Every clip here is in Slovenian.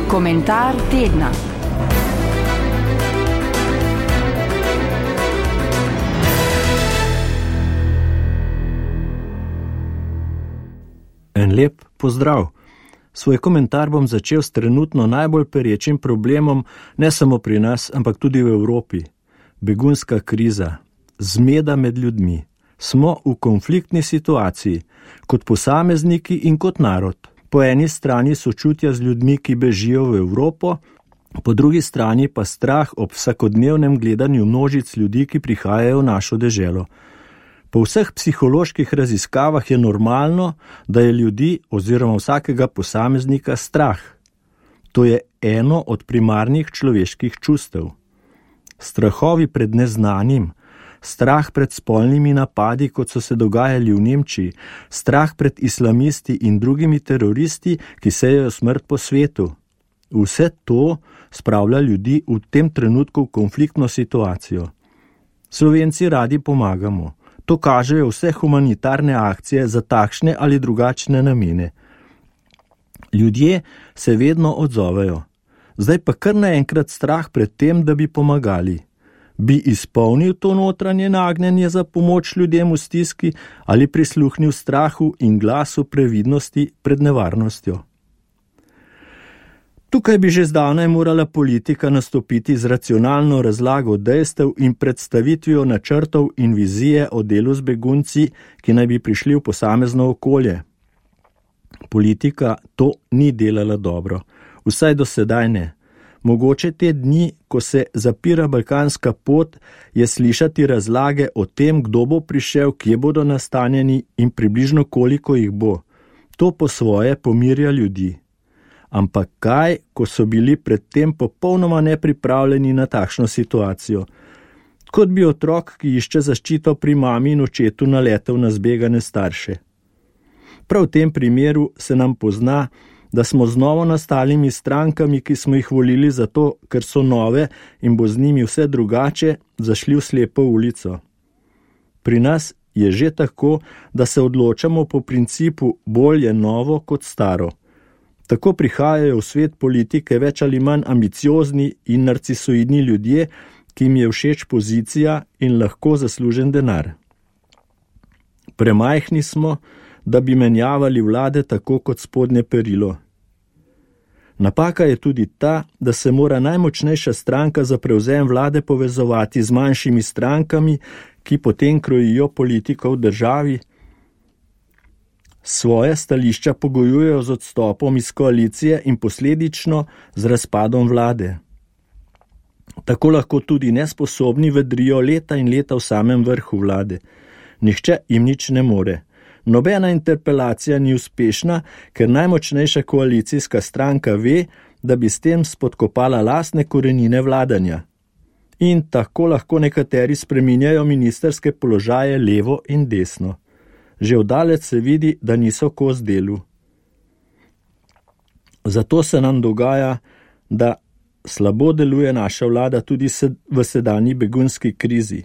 Komentar tedna. En lep pozdrav. Svoj komentar bom začel s trenutno najbolj perečim problemom, ne samo pri nas, ampak tudi v Evropi. Begunska kriza. Zmeda med ljudmi. Smo v konfliktni situaciji, kot posamezniki in kot narod. Po eni strani sočutja z ljudmi, ki bežijo v Evropo, po drugi strani pa strah ob vsakodnevnem gledanju množic ljudi, ki prihajajo v našo deželo. Po vseh psiholoških raziskavah je normalno, da je ljudi oziroma vsakega posameznika strah. To je eno od primarnih človeških čustev. Strahovi pred neznanim, strah pred spolnimi napadi, kot so se dogajali v Nemčiji, strah pred islamisti in drugimi teroristi, ki sejejo smrt po svetu. Vse to spravlja ljudi v tem trenutku v konfliktno situacijo. Slovenci radi pomagamo. To kažejo vse humanitarne akcije za takšne ali drugačne namene. Ljudje se vedno odzovejo. Zdaj pa kar naenkrat strah pred tem, da bi pomagali. Bi izpolnil to notranje nagnjenje za pomoč ljudem v stiski ali prisluhnil strahu in glasu previdnosti pred nevarnostjo? Tukaj bi že zdavnaj morala politika nastopiti z racionalno razlago dejstev in predstavitvijo načrtov in vizije o delu z begunci, ki naj bi prišli v posamezno okolje. Politika to ni delala dobro, vsaj do sedaj ne. Mogoče te dni, ko se zapira balkanska pot, je slišati razlage o tem, kdo bo prišel, kje bodo nastanjeni in približno koliko jih bo. To po svoje pomirja ljudi. Ampak kaj, ko so bili predtem popolnoma nepripravljeni na takšno situacijo? Kot bi otrok, ki išče zaščito pri mami in očetu, naletel na zbegane starše. Prav v tem primeru se nam pozna, da smo z novo nastalimi strankami, ki smo jih volili zato, ker so nove in bo z njimi vse drugače, zašli v slepo ulico. Pri nas je že tako, da se odločamo po principu bolje novo kot staro. Tako prihajajo v svet politike več ali manj ambiciozni in narcisoidni ljudje, ki jim je všeč pozicija in lahko zaslužen denar. Premajhni smo, da bi menjavali vlade tako kot spodnje perilo. Napaka je tudi ta, da se mora najmočnejša stranka za prevzem vlade povezovati z manjšimi strankami, ki potem krojijo politiko v državi. Svoje stališča pogojujejo z odstopom iz koalicije in posledično z razpadom vlade. Tako lahko tudi nesposobni vedrijo leta in leta v samem vrhu vlade. Nihče jim nič ne more. Nobena interpelacija ni uspešna, ker najmočnejša koalicijska stranka ve, da bi s tem spodkopala lastne korenine vladanja. In tako lahko nekateri spreminjajo ministrske položaje levo in desno. Že oddaleč se vidi, da niso kos delu. Zato se nam dogaja, da slabo deluje naša vlada tudi v sedanji begunski krizi.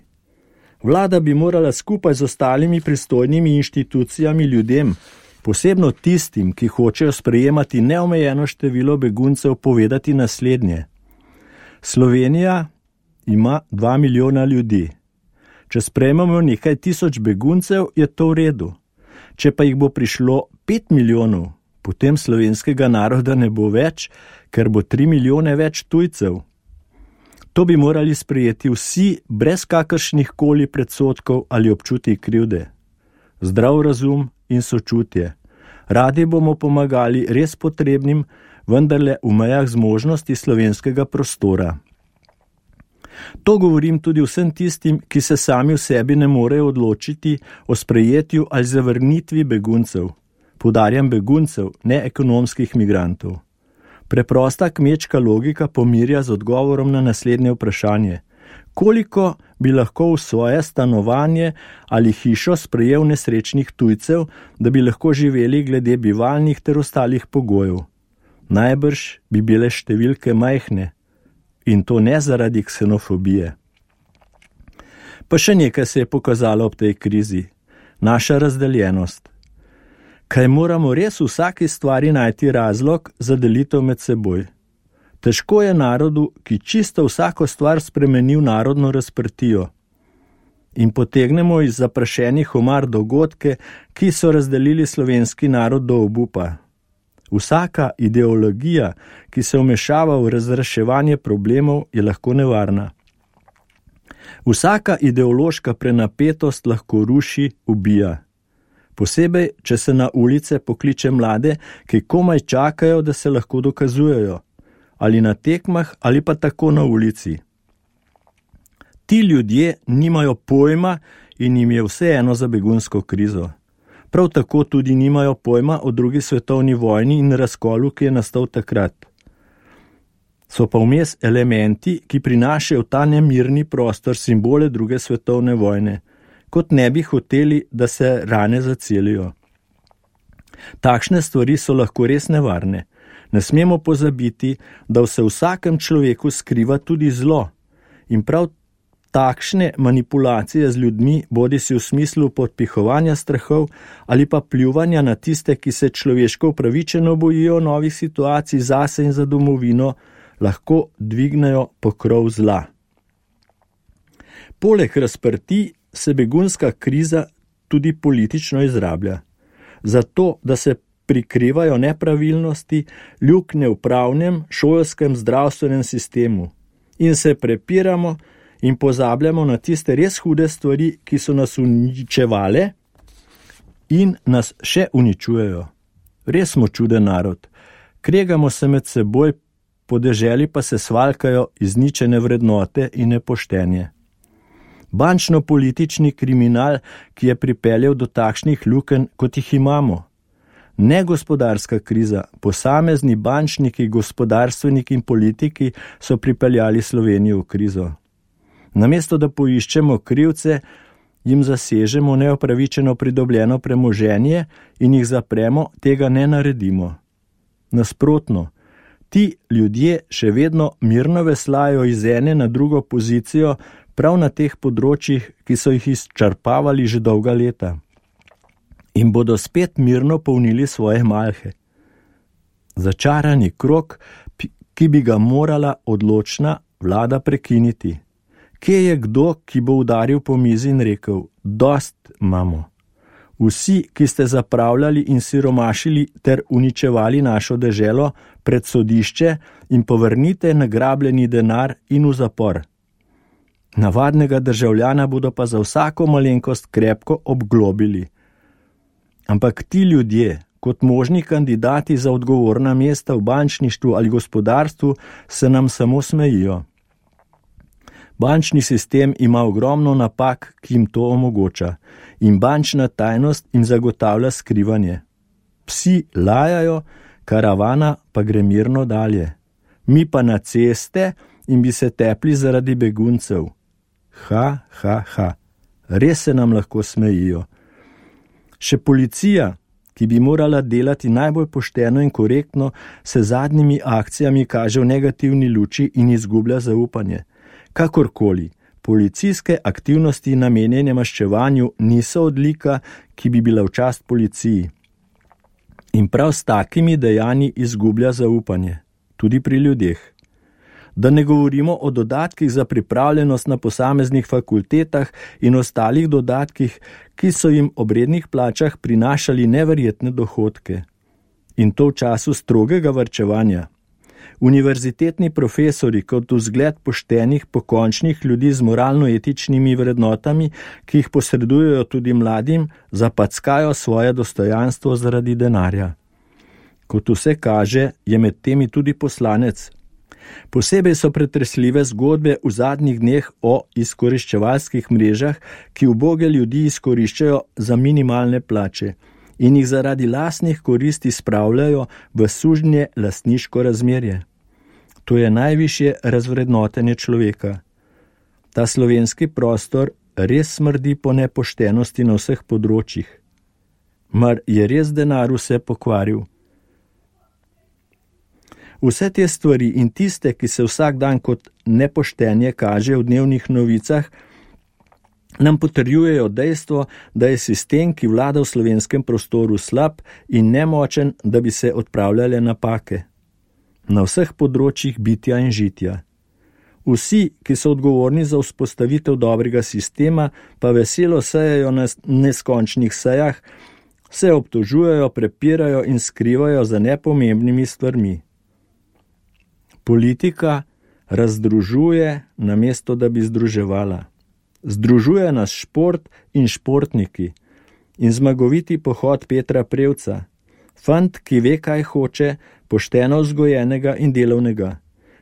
Vlada bi morala skupaj z ostalimi pristojnimi inštitucijami ljudem, posebno tistim, ki hočejo sprejemati neomejeno število beguncev, povedati naslednje. Slovenija ima 2 milijona ljudi. Če sprejmemo nekaj tisoč beguncev, je to v redu. Če pa jih bo prišlo 5 milijonov, potem slovenskega naroda ne bo več, ker bo 3 milijone več tujcev. To bi morali sprejeti vsi brez kakršnih koli predsodkov ali občutij krivde. Zdrav razum in sočutje. Radi bomo pomagali res potrebnim, vendarle v mejah zmožnosti slovenskega prostora. To govorim tudi vsem tistim, ki se sami v sebi ne morejo odločiti o sprejetju ali zavrnitvi beguncev. Poudarjam beguncev, ne ekonomskih migrantov. Preprosta kmečka logika pomirja z odgovorom na naslednje vprašanje. Koliko bi lahko v svoje stanovanje ali hišo sprejel nesrečnih tujcev, da bi lahko živeli glede bivalnih ter ostalih pogojev? Najbrž bi bile številke majhne. In to ne zaradi ksenofobije. Pa še nekaj se je pokazalo ob tej krizi. Naša razdeljenost. Kaj moramo res v vsaki stvari najti razlog za delitev med seboj? Težko je narodu, ki čisto vsako stvar spremeni v narodno razprtijo. In potegnemo iz zaprašenih omar dogodke, ki so razdelili slovenski narod do obupa. Vsaka ideologija, ki se vmešava v razreševanje problemov, je lahko nevarna. Vsaka ideološka prenapetost lahko ruši, ubija. Posebej, če se na ulice pokliče mlade, ki komaj čakajo, da se lahko dokazujejo, ali na tekmah, ali pa tako na ulici. Ti ljudje nimajo pojma in jim je vseeno za begunsko krizo. Prav tako tudi nimajo pojma o drugi svetovni vojni in razkolu, ki je nastal takrat. So pa vmes elementi, ki prinašajo v ta nemirni prostor simbole druge svetovne vojne, kot ne bi hoteli, da se rane zacelijo. Takšne stvari so lahko res nevarne. Ne smemo pozabiti, da se v vsakem človeku skriva tudi zlo. In prav takšne manipulacije z ljudmi, bodisi v smislu podpihovanja strahov ali pa pljuvanja na tiste, ki se človeško upravičeno bojijo novih situacij zase in za domovino, lahko dvignejo pokrov zla. Poleg razprtij se begunska kriza tudi politično izrablja. Zato, da se prikrivajo nepravilnosti, luknje v pravnem, šolskem, zdravstvenem sistemu in se prepiramo in pozabljamo na tiste res hude stvari, ki so nas uničevale in nas še uničujejo. Res smo čuden narod. Kregamo se med seboj, po deželi pa se svalkajo izničene vrednote in nepoštenje. Bančno-politični kriminal, ki je pripeljal do takšnih lukenj, kot jih imamo. Ne gospodarska kriza, posamezni bančniki, gospodarstveniki in politiki so pripeljali Slovenijo v krizo. Namesto da poiščemo krivce, jim zasežemo neopravičeno pridobljeno premoženje in jih zapremo, tega ne naredimo. Nasprotno, ti ljudje še vedno mirno veslajo iz ene na drugo pozicijo prav na teh področjih, ki so jih izčrpavali že dolga leta. In bodo spet mirno polnili svoje malhe. Začarani krog, ki bi ga morala odločna vlada prekiniti. Kje je kdo, ki bo udaril po mizi in rekel, dost imamo. Vsi, ki ste zapravljali in siromašili ter uničevali našo deželo, pred sodišče in povrnite nagrabljeni denar in v zapor. Navadnega državljana bodo pa za vsako malenkost krepko obglobili. Ampak ti ljudje, kot možni kandidati za odgovorna mesta v bančništvu ali gospodarstvu, se nam samo smejijo. Bančni sistem ima ogromno napak, ki jim to omogoča, in bančna tajnost jim zagotavlja skrivanje. Psi lajajo, karavana pa gre mirno dalje. Mi pa na ceste in bi se tepli zaradi beguncev. Res se nam lahko smejijo. Še policija, ki bi morala delati najbolj pošteno in korektno, se zadnjimi akcijami kaže v negativni luči in izgublja zaupanje. Kakorkoli, policijske aktivnosti namenjene maščevanju niso odlika, ki bi bila v čast policiji. In prav s takimi dejanji izgublja zaupanje, tudi pri ljudeh. Da ne govorimo o dodatkih za pripravljenost na posameznih fakultetah in ostalih dodatkih, ki so jim ob rednih plačah prinašali neverjetne dohodke. In to v času strogega varčevanja. Univerzitetni profesori kot vzgled poštenih, pokončnih ljudi z moralno-etičnimi vrednotami, ki jih posredujejo tudi mladim, zapackajo svoje dostojanstvo zaradi denarja. Kot vse kaže, je med temi tudi poslanec. Posebej so pretresljive zgodbe v zadnjih dneh o izkoriščevalskih mrežah, ki uboge ljudi izkoriščajo za minimalne plače in jih zaradi lastnih koristi spravljajo v sužnje lastniško razmerje. To je najvišje razvrednotenje človeka. Ta slovenski prostor res smrdi po nepoštenosti na vseh področjih. Mar je res denar vse pokvaril? Vse te stvari in tiste, ki se vsak dan kot nepoštenje kaže v dnevnih novicah, nam potrjujejo dejstvo, da je sistem, ki vlada v slovenskem prostoru, slab in nemočen, da bi se odpravljale napake. na vseh področjih bitja in žitja. Vsi, ki so odgovorni za vzpostavitev dobrega sistema, pa veselo sejajo na neskončnih sejah, se obtožujejo, prepirajo in skrivajo za nepomembnimi stvarmi. Politika razdružuje, namesto da bi združevala. Združuje nas šport in športniki in zmagoviti pohod Petra Prevca, fant, ki ve, kaj hoče, pošteno vzgojenega in delovnega,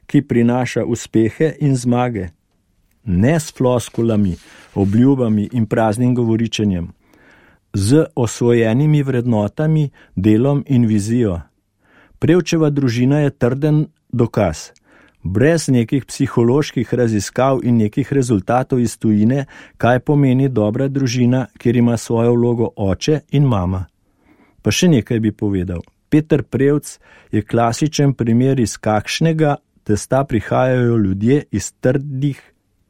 ki prinaša uspehe in zmage. Ne s floskulami, obljubami in praznim govoričenjem, z osvojenimi vrednotami, delom in vizijo. Prevčeva družina je trden dokaz. Brez nekih psiholoških raziskav in nekih rezultatov iz tujine, kaj pomeni dobra družina, kjer ima svojo vlogo oče in mama. Pa še nekaj bi povedal. Peter Prevc je klasičen primer, iz kakšnega testa prihajajo ljudje iz trdih,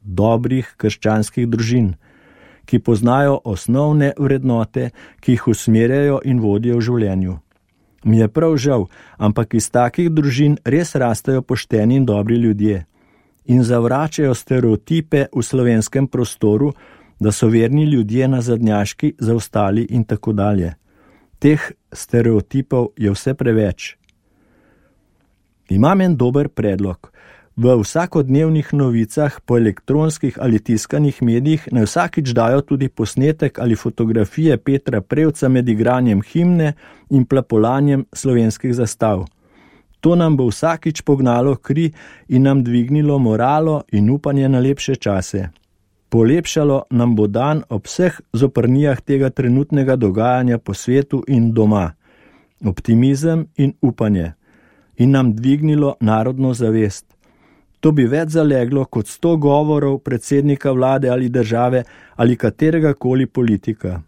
dobrih krščanskih družin, ki poznajo osnovne vrednote, ki jih usmerjajo in vodijo v življenju. Mi je prav žal, ampak iz takih družin res rastejo pošteni in dobri ljudje in zavračajo stereotipe v slovenskem prostoru, da so verni ljudje nazadnjaški, zaostali in tako dalje. Teh stereotipov je vse preveč. Imam en dober predlog. V vsakodnevnih novicah po elektronskih ali tiskanih medijih naj vsakič dajo tudi posnetek ali fotografije Petra Prevca med igranjem himne in plapolanjem slovenskih zastav. To nam bo vsakič pognalo kri in nam dvignilo moralo in upanje na lepše čase. Polepšalo nam bo dan ob vseh zoprnijah tega trenutnega dogajanja po svetu in doma. Optimizem in upanje. In nam dvignilo narodno zavest. To bi več zaleglo kot 100 govorov predsednika vlade ali države ali katerega koli politika.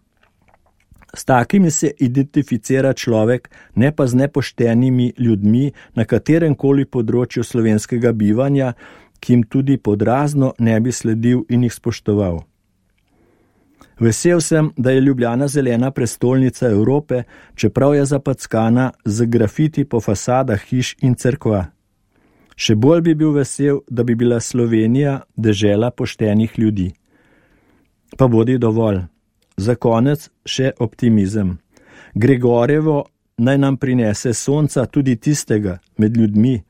S takimi se identificira človek, ne pa z nepoštenimi ljudmi na katerem koli področju slovenskega bivanja, ki jim tudi podrazno ne bi sledil in jih spoštoval. Vesel sem, da je Ljubljana zelena prestolnica Evrope, čeprav je zapackana z grafiti po fasadah hiš in cerkva. Še bolj bi bil vesel, da bi bila Slovenija dežela poštenih ljudi. Pa bodi dovolj. Za konec še optimizem. Gregorjevo naj nam prinese sonca tudi tistega med ljudmi,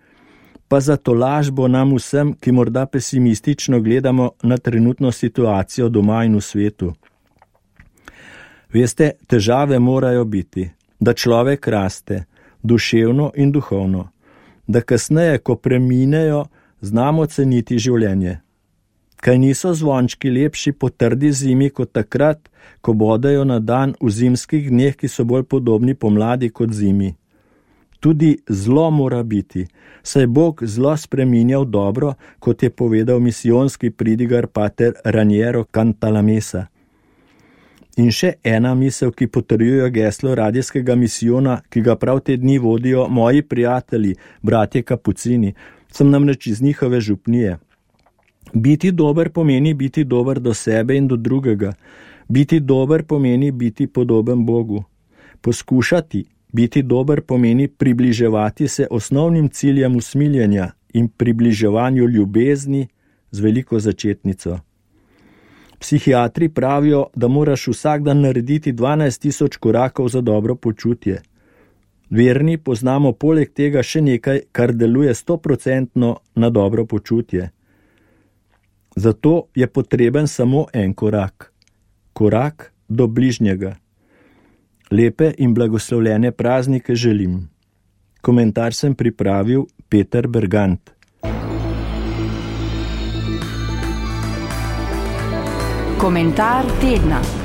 pa za tolažbo nam vsem, ki morda pesimistično gledamo na trenutno situacijo doma in v svetu. Veste, težave morajo biti, da človek raste, duševno in duhovno, da kasneje, ko preminejo, znamo ceniti življenje. Kaj niso zvončki lepši po trdi zimi kot takrat, ko bodejo na dan v zimskih dneh, ki so bolj podobni pomladi kot zimi. Tudi zlo mora biti, saj Bog zlo spreminja v dobro, kot je povedal misijonski pridigar pater Raniero Cantalamessa. In še ena misel, ki potrjuje geslo radijskega misijona, ki ga prav te dni vodijo moji prijatelji, bratje Kapucini, sem namreč iz njihove župnije. Biti dober pomeni biti dober do sebe in do drugega. Biti dober pomeni biti podoben Bogu. Poskušati biti dober pomeni približevati se osnovnim ciljem usmiljenja in približevanju ljubezni z veliko začetnico. Psihiatri pravijo, da moraš vsak dan narediti 12.000 korakov za dobro počutje. Verni poznamo poleg tega še nekaj, kar deluje 100% na dobro počutje. Zato je potreben samo en korak. Korak do bližnjega. Lepe in blagoslovljene praznike želim. Komentar sem pripravil Peter Bergant. Komentar tedna.